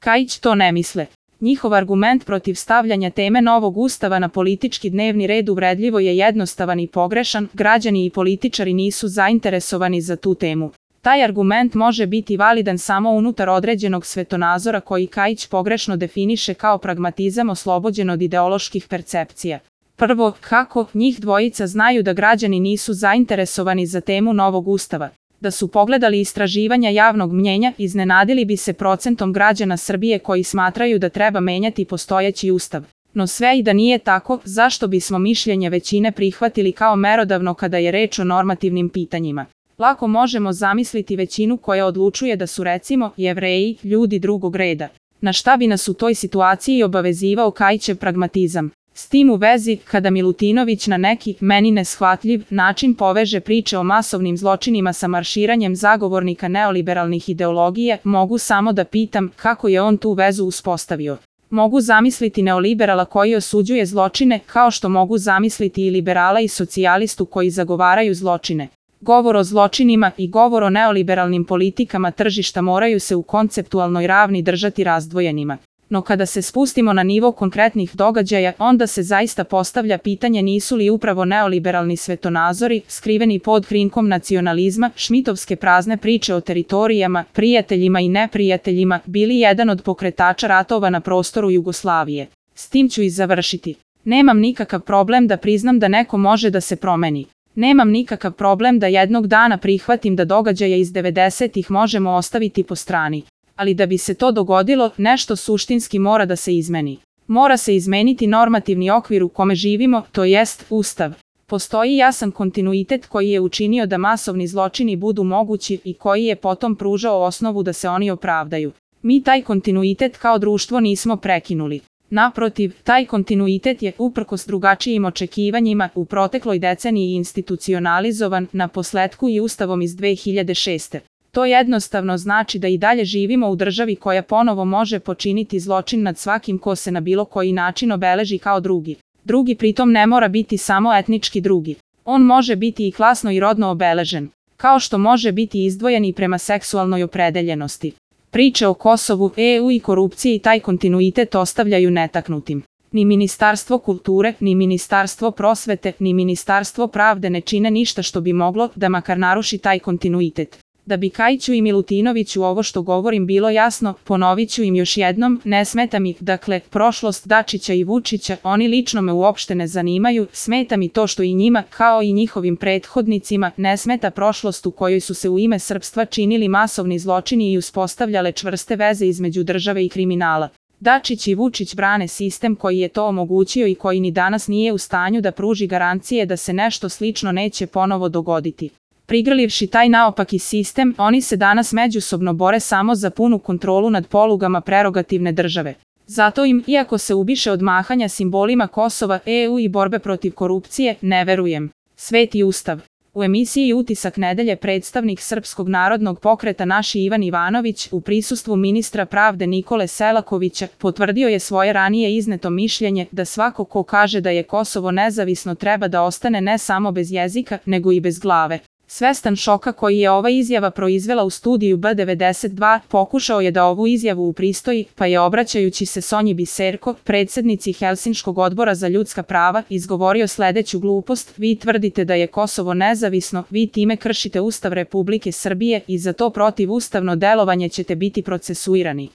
Kajić to ne misle. Njihov argument protiv stavljanja teme novog ustava na politički dnevni red uvredljivo je jednostavan i pogrešan, građani i političari nisu zainteresovani za tu temu. Taj argument može biti validan samo unutar određenog svetonazora koji Kajić pogrešno definiše kao pragmatizam oslobođen od ideoloških percepcija. Prvo, kako njih dvojica znaju da građani nisu zainteresovani za temu novog ustava? Da su pogledali istraživanja javnog mnjenja, iznenadili bi se procentom građana Srbije koji smatraju da treba menjati postojeći ustav. No sve i da nije tako, zašto bismo mišljenje većine prihvatili kao merodavno kada je reč o normativnim pitanjima? Lako možemo zamisliti većinu koja odlučuje da su recimo Jevreji ljudi drugog reda. Na šta bi nas u toj situaciji obavezivao Kajićev pragmatizam? S tim u vezi, kada Milutinović na neki, meni neshvatljiv, način poveže priče o masovnim zločinima sa marširanjem zagovornika neoliberalnih ideologija, mogu samo da pitam kako je on tu vezu uspostavio. Mogu zamisliti neoliberala koji osuđuje zločine, kao što mogu zamisliti i liberala i socijalistu koji zagovaraju zločine. Govor o zločinima i govor o neoliberalnim politikama tržišta moraju se u konceptualnoj ravni držati razdvojenima. No kada se spustimo na nivo konkretnih događaja, onda se zaista postavlja pitanje nisu li upravo neoliberalni svetonazori, skriveni pod krinkom nacionalizma, šmitovske prazne priče o teritorijama, prijateljima i neprijateljima, bili jedan od pokretača ratova na prostoru Jugoslavije. S tim ću i završiti. Nemam nikakav problem da priznam da neko može da se promeni. Nemam nikakav problem da jednog dana prihvatim da događaje iz 90-ih možemo ostaviti po strani. Ali da bi se to dogodilo, nešto suštinski mora da se izmeni. Mora se izmeniti normativni okvir u kome živimo, to jest Ustav. Postoji jasan kontinuitet koji je učinio da masovni zločini budu mogući i koji je potom pružao osnovu da se oni opravdaju. Mi taj kontinuitet kao društvo nismo prekinuli. Naprotiv, taj kontinuitet je, uprkos drugačijim očekivanjima, u protekloj deceniji institucionalizovan, naposletku i Ustavom iz 2006. To jednostavno znači da i dalje živimo u državi koja ponovo može počiniti zločin nad svakim ko se na bilo koji način obeleži kao drugi. Drugi pritom ne mora biti samo etnički drugi. On može biti i klasno i rodno obeležen, kao što može biti izdvojen i prema seksualnoj opredeljenosti. Priče o Kosovu, EU i korupciji taj kontinuitet ostavljaju netaknutim. Ni Ministarstvo kulture, ni Ministarstvo prosvete, ni Ministarstvo pravde ne čine ništa što bi moglo da makar naruši taj kontinuitet. Da bi Kajiću i Milutinoviću ovo što govorim bilo jasno, ponovit ću im još jednom, ne smeta mi, dakle, prošlost Dačića i Vučića, oni lično me uopšte ne zanimaju, smeta mi to što i njima, kao i njihovim prethodnicima, ne smeta prošlost u kojoj su se u ime srpstva činili masovni zločini i uspostavljale čvrste veze između države i kriminala. Dačić i Vučić brane sistem koji je to omogućio i koji ni danas nije u stanju da pruži garancije da se nešto slično neće ponovo dogoditi. Prigrlivši taj naopaki sistem, oni se danas međusobno bore samo za punu kontrolu nad polugama prerogativne države. Zato im, iako se ubiše od mahanja simbolima Kosova, EU i borbe protiv korupcije, ne verujem. Sveti Ustav. U emisiji Utisak nedelje predstavnik Srpskog narodnog pokreta naši Ivan Ivanović, u prisustvu ministra pravde Nikole Selakovića, potvrdio je svoje ranije izneto mišljenje da svako ko kaže da je Kosovo nezavisno treba da ostane ne samo bez jezika, nego i bez glave. Svestan šoka koji je ova izjava proizvela u studiju B92, pokušao je da ovu izjavu upristoji, pa je obraćajući se Sonji Biserko, predsednici Helsinškog odbora za ljudska prava, izgovorio sledeću glupost: vi tvrdite da je Kosovo nezavisno, vi time kršite Ustav Republike Srbije i za to protivustavno delovanje ćete biti procesuirani.